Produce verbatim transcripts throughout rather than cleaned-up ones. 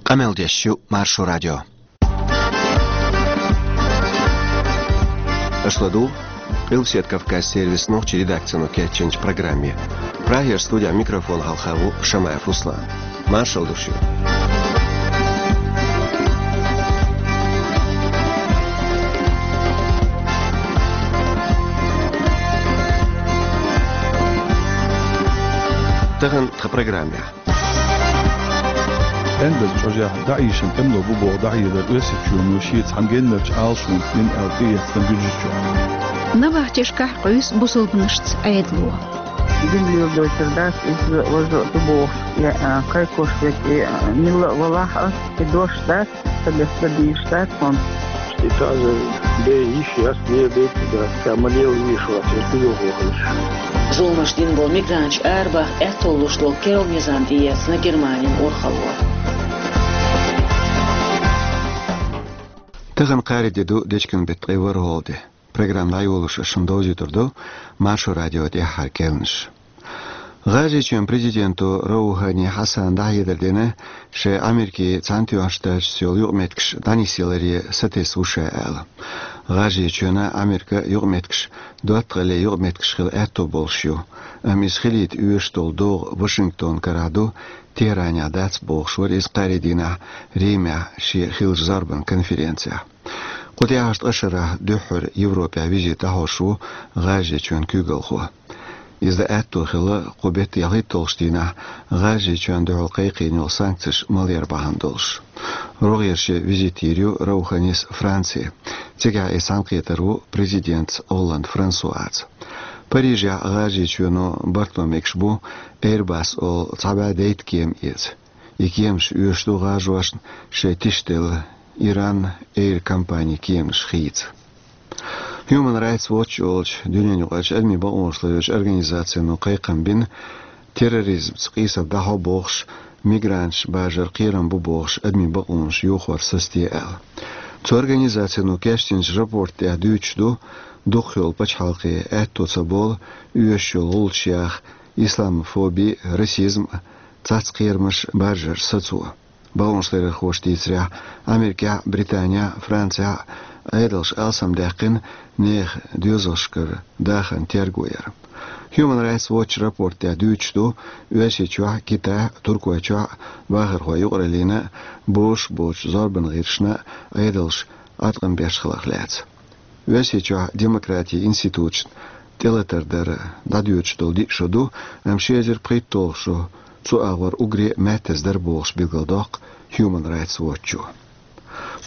Къамел деш ю Маршо радио. Аша ладугӀу Къилбаседа Кавказ сервисан нохчийн редакцино кечйинчу программе. Прагера студехь микрофон хьалха ву Шамаев Руслан. Маршалла ду шуьга. Тахана тхан программехь. Ӏаьнбаза чӀожехь дӀаийшина тӀемало бу боху дӀахьедар Оьрсийчоьно шен цхьана геннарчу Ӏалашонца дина аьлла тӀеэцна Гуьржийчохь. Набахтешкахь къуьйсу бусалбанашца Ӏедало. Дин леладойтур дац, иза важа а ду бохуш, я, а, кхайкхош верг, и, а, милла а валахь а, и дош дац, ца бес дан дийш дац хьуна. И таза бен йиш яц, леладайтар дац, ша ма лела везаш вац, я куьйгалхо хилча. Зуламаш дина болу мигранташ арабаха аьтто луш долу керла низам тӀеэцна Германин урхалло. Тахана кхаарин де ду, дечкен беттан ткъе ворхӀалгӀа де. Программа дӀайолош ас шуна довзуьйтур ду Маршо радион тӀаьххьара керланаш. ГӀажарийчоьнан президенто Роухани Хьасана дӀахьедар дина, шайн Америкин Цхьаьнатоьхначу Штаташца йолу юкъаметтигаш дӀанисъяларе сатесна ву ша аьлла. ГӀажарийчоьнан Америкин юкъаметтигаш доттагӀаллин юкъаметтигаш хила аьтто болуш ю, амма иза хилийта оьшуш долу догӀа Вашингтонан карахь ду, Техранехь дац бохуш вара иза кхаарин дийнахь Римехь шен хиллачу зорбанан конференцехь. Кху тӀаьхьарчу ткъа шарахь дуьххьара Европехь визит дӀахьош ву ГӀажарийчоьнан куьйгалхо. Иза дан аьтто хилла кху беттан ялхитталгӀачу дийнахь ГӀажарийчоьнна дуьхьал кхайкхийна йолу санкцеш малъяр бахьана долуш. РогӀера шен визит йийр ю Роуханис Франци. Цигахь иза цхьаьнакхетар ву президентца Олланд Франсуаца. Парижехь ГӀажарийчоьно барт бан мегаш бу Airbus олу цхьа бӀе дейтта кема эца. И кеманаш оьшуш ду гӀажаршна шайн тишделла Иран Air компанин кеманаш хийца. Human Rights Watch олучу дуьненаюкъарчу адамийн бакъонаш ларъечу организацино кхайкхам бина, терроризмца къийсам дӀахьо бохуш, мигранташ бажар кхерам бу бохуш, адамийн бакъонаш йохор сацаде аьлла. Цу организацино кечдинчу рапортехь дуьйцуш ду, дукхахйолу пачхьалкхе аьтто ца болу оьшуш йолу гӀулчаш яха, исламофоби, расизм, цхьацца кхерамаш бажар сацо. Бакъонашларъярхоша дийцарехь, Америкехь а, Британехь а, Францехь а Ӏедалша алсамдаьккхина нехан доьзалшкара дахарна терго яр. Human Rights Watch рапортехь дуьйцуш ду, Оьрсийчохь а, Китайхь а, Туркойчохь а бахархой юкъараллина а, бозуш боцчу зорбанан гӀирсашна а Ӏедалша Ӏаткъам беш хиларх лаьцна. Оьрсийчохь демократин институташна тӀелатар дар дӀадоьдуш долу диъ шо ду, амма ши эзар пхийтталгӀа шо цу агӀор уггаре а маьттаза дара бохуш билгалдоккху Human Rights Watch-о.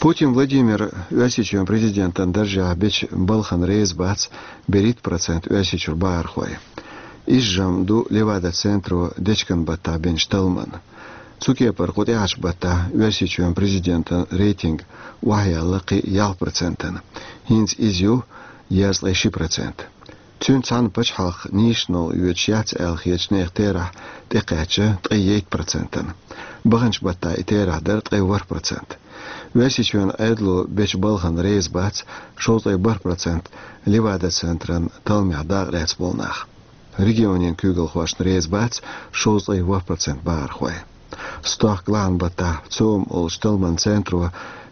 Путин Владимир Оьрсийчоьнан президентан даржехь бечу балхана реза бац берхӀитта процент Оьрсийчуьра бахархой. Иза жамӀ ду Левада-центро дечкен баттахь бинчу талламан. Цу кепара кху тӀаьхьарчу баттахь Оьрсийчоьнан президентан рейтинг охьаяьлла кхин ялх процентана. ХӀинца иза ю езткъе ши процент. Цуьнца цхьаьна пачхьалкх нийсачу новкъа йоьдуш яц аьлла хетачу нехан терахь тӀекхаьчча ткъе ейтта процентана. Баханчу баттахь и терахь дара ткъе ворхӀ процент. Оьрсийчоьнан Ӏедало бечу балхана реза бац шовзткъе бархӀ процент Левада-центран талламехь дакъа лаьцна болу нах. Регионийн куьйгалхошна реза бац шовзткъе ворхӀ процент бахархой. Стохка лахьан баттахь ЦОМ олучу талламан центро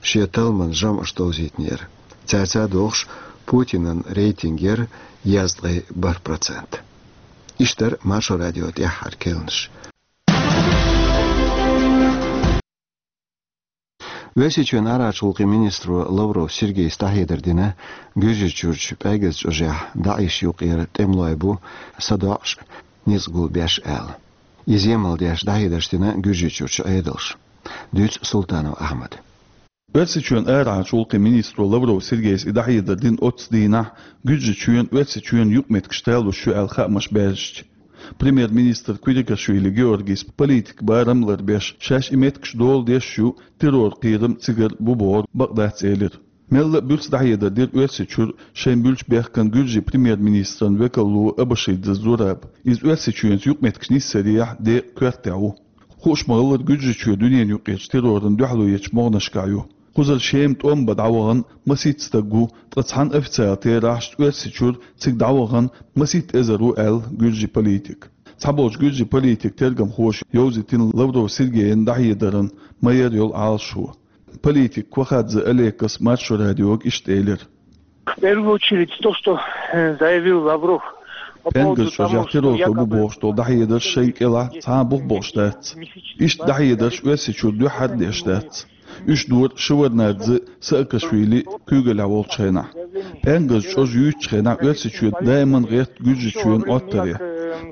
шен талламан жамӀаш довзийтинера. Цаьрца догӀуш Путинан рейтинг яра езткъе бархӀ процент. Иштта дара Маршо радион тӀаьххьара керланаш. Оьрсийчоьнан арахьарчу гӀуллакхийн министро Лавров Сергейс дӀахьедар дина, Гуьржийчуьрчу ПӀегаза чӀожехь ДАИШ юкъера тӀемалой бу садоӀуш а, ницкъ гулбеш аьлла. Иза емал деш дӀахьедарш дина Гуьржийчуьрчу Ӏедалша. Дуьйцу Султанов Ахьмада. Оьрсийчоьнан арахьарчу гӀуллакхийн министро Лавров Сергейс и дӀахьедар дина оццу дийнахь, Гуьржийчоьнан, Оьрсийчоьнан юкъаметтигаш талуш ю аьлла хаамаш баьржича. Премьер-министр Квирикашвили Георгийс политикан барам ларбеш, шаьш и меттигаш дола деш ю, террор кхерам цигара бу бохург бакъ дац элира. Мелла а буьрса дӀахьедар дира Оьрсийчуьра шайна буьллучу бехкана гуьржийн премьер-министран векалло Абашидзе Зураба. Иза Оьрсийчоьнца юкъаметтигаш нисъярехь декъан коьртехь ву. Хууш ма-хиллара, Гуьржийчоь дуьненаюкъарчу террорна дуьхьало ечу могӀанашкахь ю. Кхузара Шема тӀом бан дӀавахана масийтта стаг ву, ткъа цхьана официалан терахьашца Оьрсийчуьра цига дӀавахана масийтта эзар ву аьлла гуьржийн политика. Цхьаболчу гуьржийн политикан тергамхоша йовзийтина Лавров Сергейна дӀахьедаран ма-ярра йолу Ӏалашо. Политик Кохадзе Олекас Маршо радиога иштта элира. В первую очередь то, что э, заявил Лавров по поводу того, что якобы террорхой бу бохуш долу дӀахьедарш шайна кӀелахь цхьа а бух болуш дац. Иштта дӀахьедарш Оьрсийчуьра дуьххьара деш дац. Уьш дора Шеварднарадзе а, Саакашвили а куьйгаллехь волчу хенахь. ПӀенгаза чӀожа юьйцучу хенахь Оьрсийчоь даиман гӀерта Гуьржийчоьнан Ӏоттаре.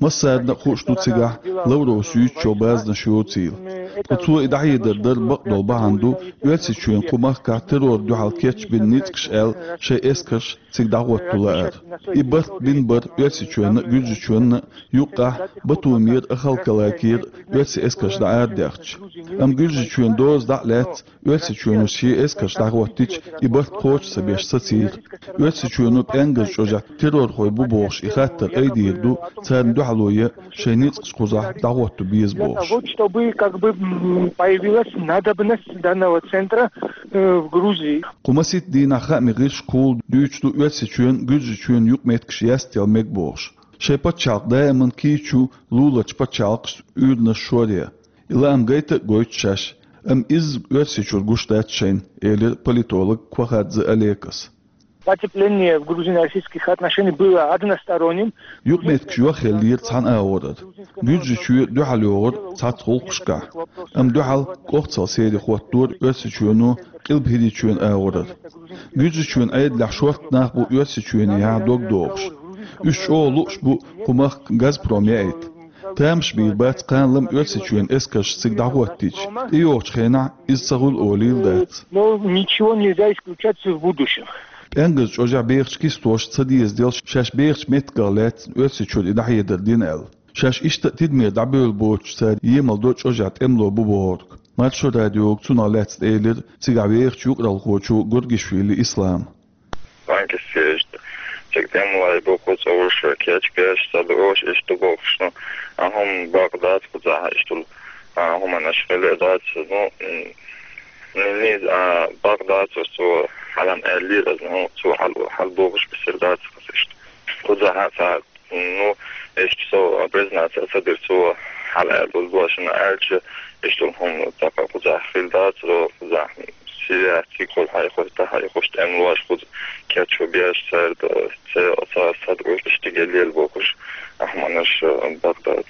Массарна а хууш ду цигахь Лавровс юьйцучу базанаш йоцийла. Ткъа цо и дӀахьедар дар бакъдолу бахьана ду Оьрсийчоьнан кху махкахь террорна дуьхьал кечбина ницкъаш аьлла шайн эскарш цига дӀахӀотто лаар. И барт бина бара Оьрсийчоьнна а, Гуьржийчоьнна а, юккъехь Батумера а, Ахалкалакера а оьрсийн эскарш дӀаарадаьхча. Амма Гуьржийчоьнан доза дӀа а лаьцна, Оьрсийчоьно шен эскарш дӀахӀоттийча, и барт кхочуш ца беш сацийра. Оьрсийчоьно ПӀенгаза чӀожехь террорхой бу бохуш и хаттар айдийр ду, царна дуьхьало ян шайн ницкъаш кхузахь дӀахӀотто беза бохуш. Для того, чтобы как бы м, появилась надобность данного центра э, в Грузии. Кху масийтта дийнахь хаамийн гӀирсашкахула дуьйцуш ду Оьрсийчоьнан, Гуьржийчоьнан юкъаметтигаш ястел мега бохуш. Шайн пачхьалкх даиман кийча ю луларчу пачхьалкхашца уьйранаш шоръян. И лаам гайта а гойту шаьш, амма изза Оьрсийчуьра гуш дац шайна, элира политолог Кохадзе Олекас. Потепление в грузино-российских отношениях было односторонним. Юкъаметтигаш йохъеллера цхьана агӀорара. Гуьржийчоь дуьхьал йогӀура цхьацца гӀуллакхашкахь, амма дуьхьал кӀохцал сере хӀоттора Оьрсийчоьно Къилба ХӀирийчоьнан агӀорара. Гуьржийчоьнан Ӏедалехь шорта нах бу Оьрсийчоьнехьа дог дохуш. Уьш чӀогӀа лууш бу кху махка «Газпром» яийта. Тамаш бийр бац кхана-лама Оьрсийчоьнан эскарш цига дӀахӀоттийча, тӀейогӀучу хенахь иза ца хуьлу олийла дац. Но ничего нельзя исключать в будущем. ПӀенгаза чӀожехь бехачу кистоша ца дезаделла шаьш бехачу меттигах лаьцна Оьрсийчуьра и дӀахьедар дина аьлла. Шаьш иштта а тидамера дӀабевлла боцуш цара емал до чӀожехь тӀемало бу бохург. Маршо радиога цунах лаьцна элира цигахь вехачу юкъаралхочо Гургишвили Ислама. Банкисташ цига тӀемалой бу, кху цӀа уьш кечбеш, ца дуьйш иштта бохуш, ну, а хӀума бакъ дац кхузахь иштта, а, хӀуманаш хила а дац, ну, м, низ, а, бакъ дац, цо хьалам аьллера, ну, цо хьал, хьал бохуш бисира дац, иштта. Кхузахь цхьа Ну, иштта со признаться ца дира цо, хьала аьлла, уьш башана аьлча, иштта хӀума тӀаккха кхузахь хила дацаро, кхузахь Сирия цигахула хьайхуш, тӀа хьайхуш тӀемалош кхуза кечбеш цара, цара, цара садуьйш иштта лела бохуш, ахманаш бакъ дац.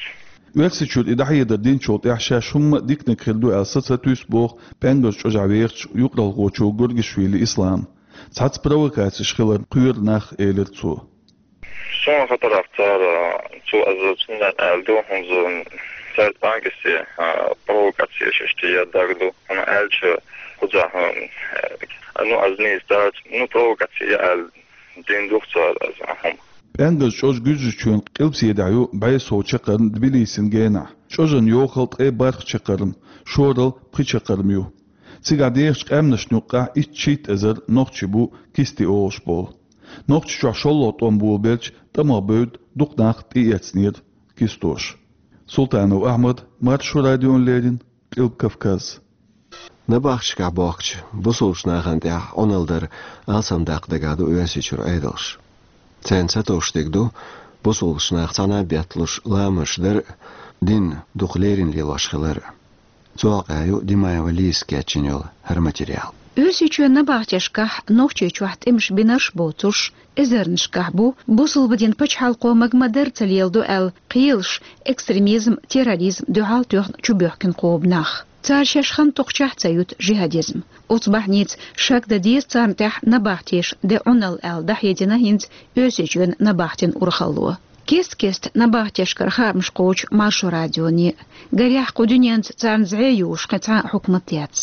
Оьрсийчуьра и дӀахьедар динчул тӀаьхьа шаьш хӀумма а диканиг хир ду аьлла саца туьйсу боху ПӀенгаза чӀожехь вехачу юкъаралхочо Гургишвили Ислама. Цхьацца провокацеш хиларна кхоьру нах, элира цо. Суна хатарах цара, цо аза цундела аьлла ду, хӀунда цара банкисте, а, провокацеш иштта ян дагадо, хӀунда аьлча кхузахь, а, ну, аз нийса дац, ну, провокаци аьлла дина ду цара аз, а, хӀума. ПӀенгаза чӀож Гуьржийчоьнан къилбаседехь ю бӀе сов чаккхарма Тбилисина генахь. ЧӀожан йохалла ткъе бархӀ чаккхарма, шоралла пхи чаккхарма ю. Цигахь дехачу къаьмнашна юккъехь итт-шийтта эзар нохчий бу кисте олуш болу. Нохчийчохь шолгӀа тӀом болабелча, тӀамах бевдда дукха нах тӀеэцнера кистоша. Султанов Ахьмад, Маршо радиона леррина, Къилба Кавказ. Набахтешкахь бохкучу бусулбачу нахана тӀехь Ӏуналла дар алсамдаккха дагахь ду Оьрсийчуьра Ӏедалш. Царна сатовш дерг ду бусулбачу наха цхьаьна а бетталуш ламазаш дар а, дин дукха леррина лелош хилар а. Цу хьокъехь ю Димаева Лизас кечйина йолу хӀара материал. Оьрсийчоьнан набахтешкахь Нохчийчохь тӀемаш бинарш а боцуш, эзарнашкахь бу бусулба динан пачхьалкхо мага ма-дарра ца леладо аьлла кхелаш, экстремизм, терроризм дуьхьал тоьхна чубоьхкина кхобу нах. Цара шаьш хан токхучохь ца юьту жихӀадизм. Оцу бахьаница шек дан деза царна тӀехь набахтеша де Ӏуналла аьлла дӀахьедина хӀинца Оьрсийчоьнан набахтин урхалло. Кест-кеста набахтешкара хаамаш кхочу Маршо радионе. Гарехь, кху дуьненца царна зӀе йолуш кхин цхьа а хьукмат яц.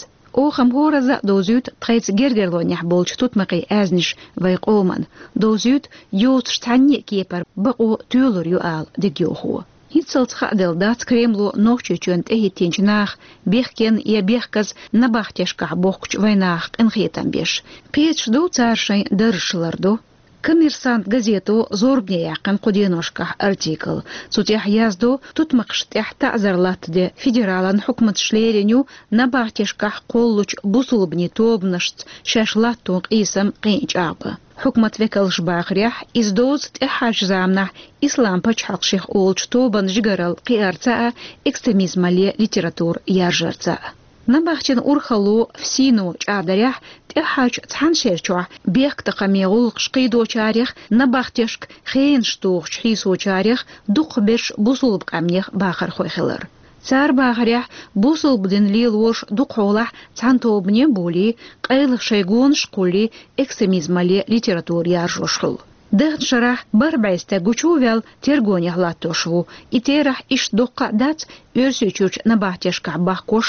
Оха-м хӀоразза а довзуьйту тхайца гергарлонехь болчу тутмакхийн аьзнаш вайн къоман, довзуьйту йоцуш цхьанне а кепара бакъо тоьлур ю ала дегайовхо. ХӀинццалц хааделла дац Кремло Нохчийчоьнна тӀехӀиттинчу наха бехкенна я бехказа набахтешкахь бохкучу вайн наха къинхетам беш. Кхеташ ду цара шайн даржаш лардо. «Коммерсант» газето зорбане яьккхина кху деношкахь артикл. Цу тӀехь яздо, тутмакхашна тӀехь таӀзар латтаде федералан хьукматаш лерина ю набахтешкахь кхоллучу бусулбанийн тобанашца шаьш латтон къийсам кхин а чӀагӀбан. Хьукмат векалша бахарехь, иза доцу тӀаьххьарчу заманахь ислам пачхьалкх шех олучу тобанан жигаралла кхиарца а, экстремизмалле литература яржарца а. Набахтин урхалло ФСИН-о чӀагӀдарехь, тӀаьххьарчу цхьана шерчохь бехктакхаман гӀуллакхаш кхийдочарех, набахтешка хенаш тухучу хьийсочарех дукхахберш бусулба къаьмнех бахархой хилар. Цара бахарехь, бусулба дин лелорш дукхахьолахь цхьана тобане а болий, къайлаха шайн гонаш а кхуллий, экстремизмалле литература яржош хуьлу. Даханчу шарахь бархӀ бӀе стаг гучу а ваьлла тергонехь латтош ву. И терахь иштта доккха а дац Оьрсийчуьрчу набахтешкахь бахкош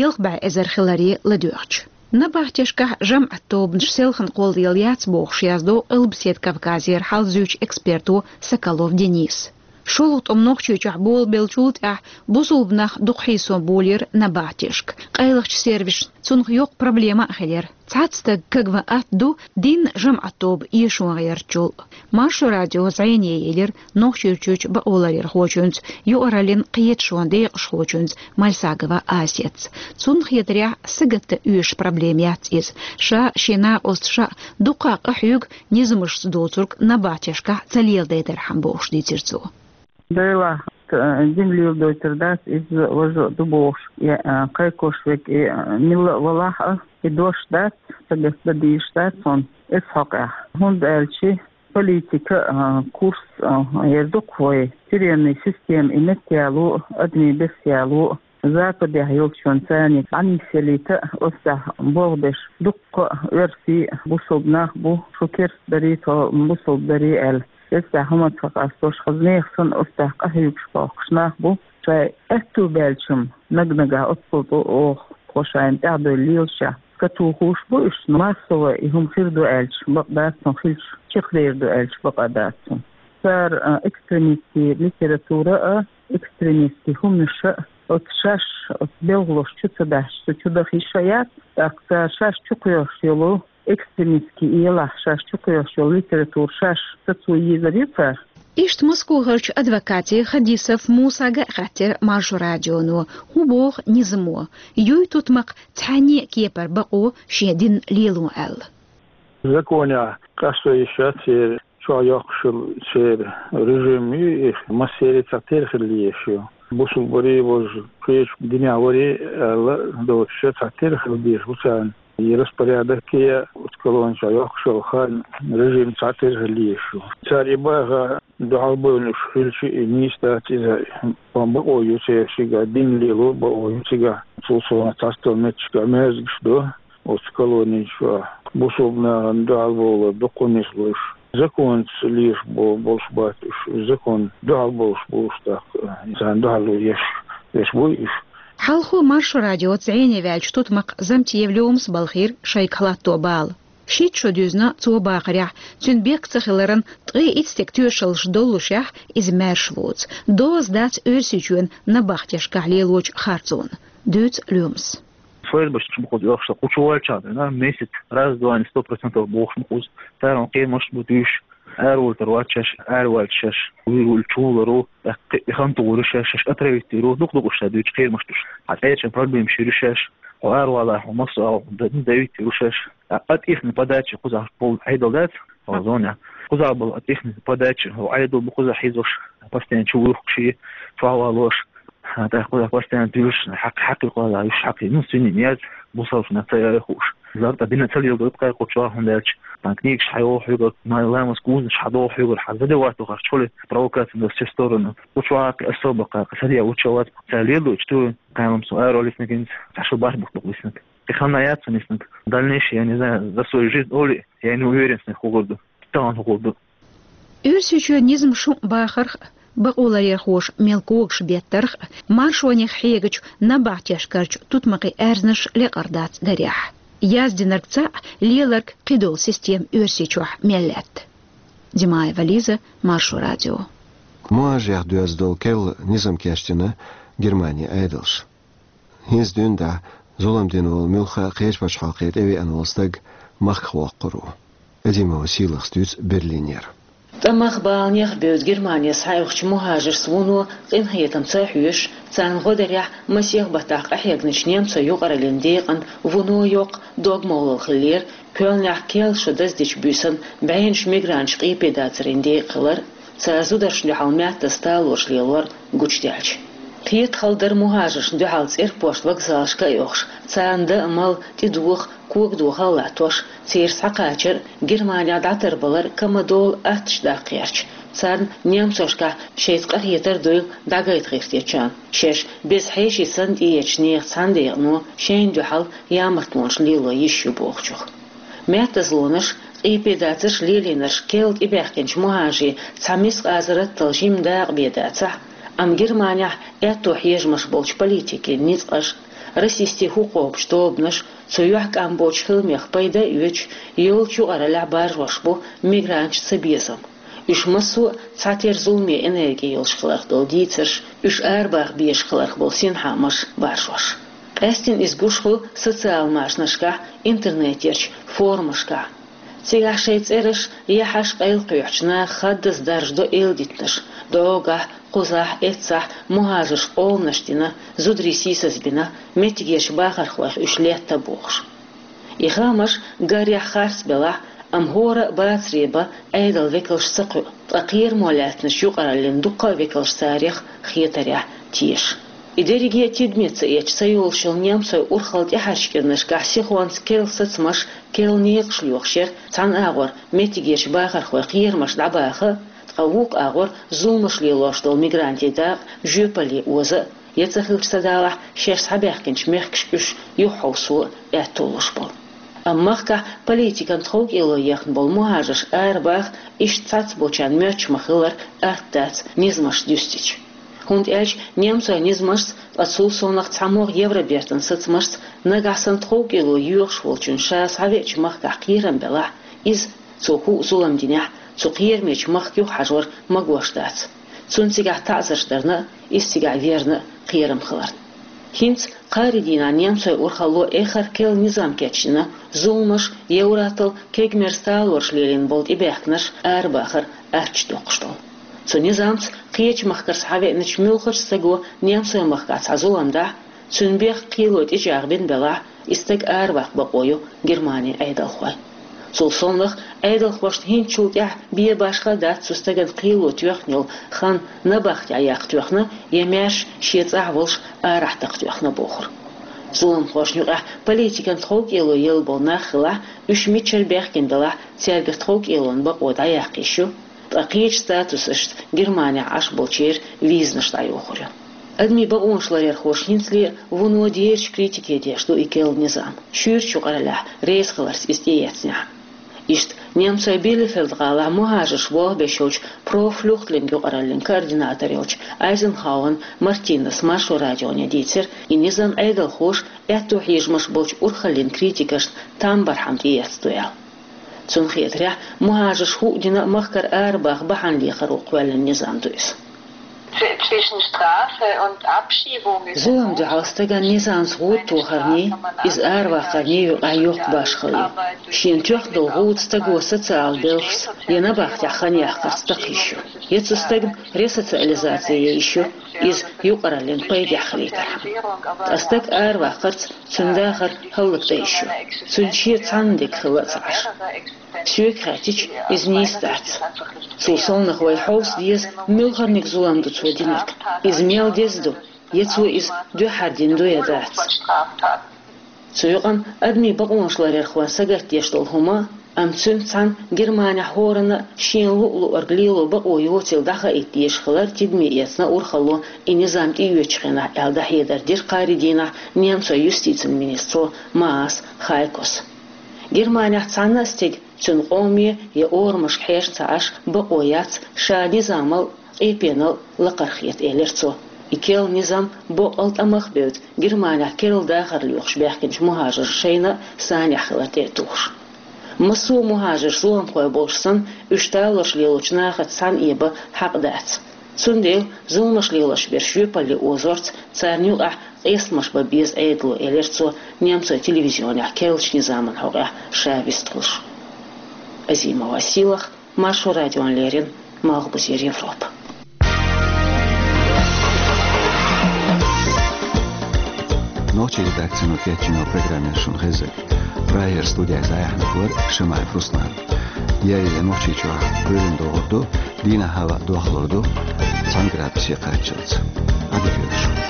ялх бӀе эзар хиларе ладоьгӀча. Набахтешкахь жамӀат тобанаш селхана кхоллаелла яц бохуш яздо Къилбаседа Кавказера хьалзуьйчу эксперто Соколов Дениса. ШолгӀа тӀом Нохчийчохь болабеллачул тӀаьхьа бусулба нах дукха хьийсо болийра набахтешка. Къайлахчу сервисашна цунах йоккха проблема а хилира. Цхьацца стаг кагван атта ду дин, жамӀат тоба эшо гӀертачул. Маршо радио зӀене елира Нохчийчуьрчу бакъоларъярхочуьнца, юкъараллин кхеташонан декъашхочуьнца Мальсагова Асетца. Цунна хетарехь, сагатдан оьшуш проблема яц иза. Ша, шен накъост ша дуккха къахьоьгу низамашца доцург набахтешкахь ца леладайдархьама, бохуш дийцира цо. Делахь, э, дин леладойтур дац, иза важа а ду бохуш, я, э, кхайкхош верг, э, милла а валахь а, и дош дац, сагатдан дезаш дац хьуна эс хьокъехь. ХӀунда аьлча политика, э, курс, э, яр ду-кх вай, тюремный система, и меттаяло, адамийн бесъяло, Западехь йолчунна царниг Ӏанисъялийта, оццахь болх беш дуккха а оьрсий, бусулба нах бу, шу керста дарий, тхо бусулба дарий аьлла. Эццахь хӀума ца къастош, хаза нехан санна, оццахь къахьоьгуш бохкуш нах бу. Шайн аьтту баьлча-м, наг-нагахь оццул тӀу оха, тхо шайна тӀаьхьадевлла лелашехь, катухуш бу уьш, но массово и хӀума хир ду аьлча, бакъ дац цунна хилча, чекхдер ду аьлча, бакъ а дац цунна. Цара, а, экстремистский литература а, экстремистский хӀуманаш а, оцу шаьш, оцу белхалошна чу ца дахьаш, цу чу даха йиш а яц, тӀаккха цара шаьш чукхоьхьуш йолу экстремистский, и ялахь шаьш чукхоьхьуш йолу литература шаьш сацо езар ю цара. Иштта Москохарчу адвокате Хадисов Мусага а хаьттира Маршо радионо, хӀун боху низамо, юй тутмакх цхьанне а кепара бакъо шен дин лело аьлла. Законехь къасто йиш яц церан, чохь йоккхуш йолу церан режим ю, и массеран цхьатерра хила езаш ю. Бусулба варе, важа кхечу динехь варе аьлла доцуш, цхьатерра хила дезаш бу царна. И распорядок я, оцу колони чохь йоккхуш йолу хан, режим цхьатерра хила езаш ю. Цара и баха дуьхьал бевлла уьш хилча, и нийса дац иза, бакъо ю церан цигахь, дин лело бакъо ю цигахь. Цул совнаха цхьацца меттигашкахь маьждигаш ду. Оцу колони чохь бусулба нахана дуьхьал бовлар дуккха а нислуш, законца леш бо-, болуш бац уьш, закон дуьхьал болуш бу уьш, тӀаккха царна дуьхьал еш, еш буй уьш. Хьалхо Маршо радиоца зӀене ваьллачу тутмакх Замтиев Лёмас балхийра шайгахь латто бала. Шийтта шо дуьзна цо бахарехь, цуьнан бехк ца хиларан ткъе итт стеган тоьшаллаш доллушехь, иза маьрша воцу. Доза дац Оьрсийчоьнан набахтешкахь лелочу харцонан, дуьйцу Лёмас. ФСБ-ш ма кхуза оьхуш, кху чу ваьлчахьана, месяц раз-два, сто процентов бохуш ма кхуза. Цара кхерамаш бу дуьйш, араволуьйтур вац шаьш, араваьлча шаьш вуьйр вуьллу чу гӀуларо, тӀаккха и хан тухур шаьш, шаьш отравить йийр ву, дукха-дукха уьш ша дуьйцу кхерамаш дуьйш. Хьан цӀерачун проблемаш йийр ю шаьш, хьо аравала, хьо массо а хьо д-, давить йийр ву шаьш. А, а тӀехна подача кхузахь полный Ӏедал дац, хьо зоне. Кхузахь болу а тӀехна подача, хьо Ӏедал бу кхузахь хьийзош, постоянно чу вуьйхуш, чохь валош. ТӀаккха кхузахь постоянно дуьйш, хьакъ-, хьакъ кхузахь, уьш хьакъ, ну, свиньи яц, бусалба нах ца яй хууш. Зарта дина ца лело, кхайкху чохь, хӀунда аьлча, тхан книгаш хьайоху хьоьгара, ма-, ламаз кузанаш хьадоху хьоьгара, хьан задевать дохуш чули провокация на все стороны. Кху чохь кхин особо кхин саде вучу вац, ца лело, чу ту, кхайламсо аро лиснаг хӀинца, ца шу барх бухтух лиснаг. И ханна яц сан лиснаг. Дальнейшее, я не знаю, за свою жизнь оли, я не уверен, снег хӀу гур ду, тахана хӀу гур ду. Оьрсийчоь низам шун бахарх а, бакъоларъярхоша мел когаш беттарх а, маршонех хьегачу набахтешкарчу тутмакхийн аьрзнаш лекъар дац дарехь. Яздинарг цхьаъ, леларг кхидолу система Оьрсийчохь мел лаьтта. Димаева Лиза, Маршо радио. Муьлххачех доьзна долу керла низам кечдина Германин Ӏедалша. ХӀинца дуьйна дӀа зулам дина волу муьлхха а кхечу пачхьалкхе тӀевеана волу стаг махках воккхур ву. Адимова Сийлахас дуьйцу Берлинера. ТӀамах, баланех бевза Германе схьаоьхучу мухӀажаршца вуно къинхетамца хьоьжуш, царна гӀо дарехь масех баттахь къахьегначу немцойн юкъараллин декъана вуно йоккха дог-молла хиллера Кёльнехь керла шо даздечу буьйсанна бӀеннаш мигранташ къепе дацарийн декъахь хилар, цара зударшна дуьхьал маьттаза талораш лелор гучудаьлча. Кхетахалла дара мухӀажаршна дуьхьал цӀерпошт вокзалашка а оьхуш, царна дан а, мала, тӀедоха, когадоха а латтош, церан схьакхачар а, Германехь дӀатарбалар а кама долу аттачу даккха гӀерташ, царна немцошкахь шайца къахетар а дуйла дӀагайта гӀиртечарна, шаьш беза хьеший санна тӀеэцначу нехан цхьана декъано шайна дуьхьал ямартонаш лело йиш ю бохучух. Маьттазлонаш, къепе дацарш лелийнарш керла тӀебаьхкинчу мухӀажарийн цхьа мискъазарраттал жима дакъа бен дацахь а, амма Германехь аьтто хьежамаш болчу политикийн ницкъаша, расистийн хӀу кхобучу тобанаша, цу юьхькӀам боцучу хиламех пайда а оьцуш, йолчу юкъараллехь баржош бу мигранташца безам. Уьш массо а цхьатерра зуламе энерги йолуш хиларх долу дийцарш, уьш арабаха безаш хиларх болу синхаамаш баржош. Къаьсттина иза гуш хуьлу социал машанашкахь, интернетерчу форумашкахь. Цигахь шайн цӀераш, яхьаш къайлакхоьхьучу наха хаддаза даржадо эладитанаш, дӀогахь, кхузахь, эццахь мухӀажарша къоланаш дина, зударий сийсазбина, меттигерчу бахархойх уьш летта бохуш. И хаамаш гарехь харц белахь а, амма хӀора а бацаре бан Ӏедалан векалш ца кхуьу, ткъа кхерамо лаьцначу юкъараллин дуккха а векалш царех хетарехь теша. И дерриге а тидаме ца эцча, ца йолуш йолу немцойн урхалла тӀаьхьарчу кӀирнашкахь сихонца керла сацамаш, керла некъаш лоьхуш яра цхьана агӀор меттигерчу бахархойн кхерамаш дӀабаха а, ткъа вукху агӀор зуламаш лелош долу мигрантийн дакъа жоьпалле оза а, я ца хилча ца далахь, шаьш схьабаьхкинчу мехкашка уьш юхахьовсо а аьтто луш болу. Амма махкахь политикан тховкӀело ехна болу мухӀажарш арабаха иштта цхьацца болчарна моьттуш ма-хиллара атта дац низамаш дуьстича. ХӀунда аьлча немцойн низамашца, ткъа цул совнаха цхьамогӀа Евробертан сацамашца, нагахь санна тховкӀело йоьхуш волчунна ша схьавеача махкахь кхерам белахь, иза, цо хӀуъа зулам динехь, цу кхерамечу махка юхахьажор магош дац. Цунна цигахь таӀзарш дарна а, иза цигахь верна а кхерам хиларна. ХӀинца кхаарин дийнахь немцойн урхалло эххар а керла низам кечдина, зуламаш, евротал кегамерза талораш лелийна болу тӀебаьхкинарш арабахар атта доккхуш долу. Цу низамца кхечу махкара схьавеаначу муьлххачу стаго немцойн махкахь цхьа зулам дахь, цуьнан бехк кхело тӀечӀагӀбина белахь, и стаг араваккха бакъо ю Германин Ӏедалхойн. Цул совнаха Ӏедалхошна хӀинцачул тӀаьхьа бен башха а дац цу стагана кхело тоьхна йолу хан набахтехь яккха тоьхна я маьрша шен цӀахь волуш арахь такха тоьхна бохург. Зуламхошна юкъахь политикан тховкӀело елла болу нах хилахь, уьш мичара баьхкина белахь, цаьрга тховкӀелон бакъо дӀаяккха йиш ю, ткъа кхечу статусашца Германехь Ӏаш болчеран визанаш дӀайохур ю. Адамийн бакъонаш ларъярхоша хӀинцале а вуно дерриш критике деш ду и керла низам, шуьйрачу юкъараллехь резахиларца иза тӀеэцнехь. Иштта немцойн Билефельд-гӀалахь мухӀажарш болх беш йолчу Pro Flüchtling юкъараллин координатор йолчу Айзенхауэн Мартинас Маршо радионе дийцира, и низам Ӏедалхоша аьтто хьежамаш болчу урхаллин критикашна там бархьама тӀеэцна ду аьлла. Цунна хетарехь, мухӀажарш хӀуъа дина а махкара арабаха бахьана лехаро кхоьллина низам ду иза. Zw-, zwischen Strafe und Abschiebung ist Зулам дуьхьал стагана низамца гӀуда тохарний, иза араваккхарний юкъахь йоккха башхалла ю. Шена тоьхна долу гӀуда стаго социалан белхашца я набахтехь хан яккхарца такха йиш ю, я цу стагна ресоциализаци ян йиш ю, иза юкъараллин пайдехь хилийтархьама. Ткъа стаг араваккхарца цуьнан дахар хӀаллакдан йиш ю, цуьнан шен цхьанна дерг хилла а ца Ӏаш. Соьга хаьттича, иза нийса дац. Цул совнаха вай хьовса деза, муьлхарниг зулам ду цо динарг. Иза мел деза ду, я цо иза дуьххьара дина ду я дац. Цу юкъана адамийн бакъонаш ларъярхойн сагатдеш долу хӀума, амма цуьнца цхьаьна Германехь хӀоранна а шена луъу-луъург лело бакъо йоцийла дӀахаийта дезаш хилар тидаме эцна урхалло и низам тӀеоьцучу хенахь аьлла дӀахьедар дира кхаарин дийнахь немцойн юстицин министро Маас Хайкос. Германехь цхьанна а стеган, цуьнан къоме я орамашка хьежа ца Ӏаш, бакъо яц ша низамал а, къепенал а лакхара хета, элира цо. И керла низам боккъал тӀамах а бевза, Германехь керла дахар лоьхуш баьхкинчу мухӀажаршна шайна а санехь хилар тӀе а тухуш. Массо а мухӀажарш зуламхой болуш санна, уьш талораш лелочу нахаца цхьаьна эбан хьакъ дац. Цундела зуламаш лелош берш жоьпалле озорца царна юкъахь къестамаш бан беза Ӏедало, элира цо немцойн телевизионехь керлачу низаман хьокъехь ша вистхуьлуш. Азимова Сийлаха, Маршо радиона леррина, Малхбузера Европа. Нохчийн редакцино кечйина программа яра шуна хезар. Прагера студехь дӀаяьхьнарг вара Шамаев Руслан. Яй, Нохчийчохь Ӏуьйранна догӀур ду, дийнахь хӀаваъ дохлур ду, цхьа градусе кхаччалц. Ӏадика йойла шуна.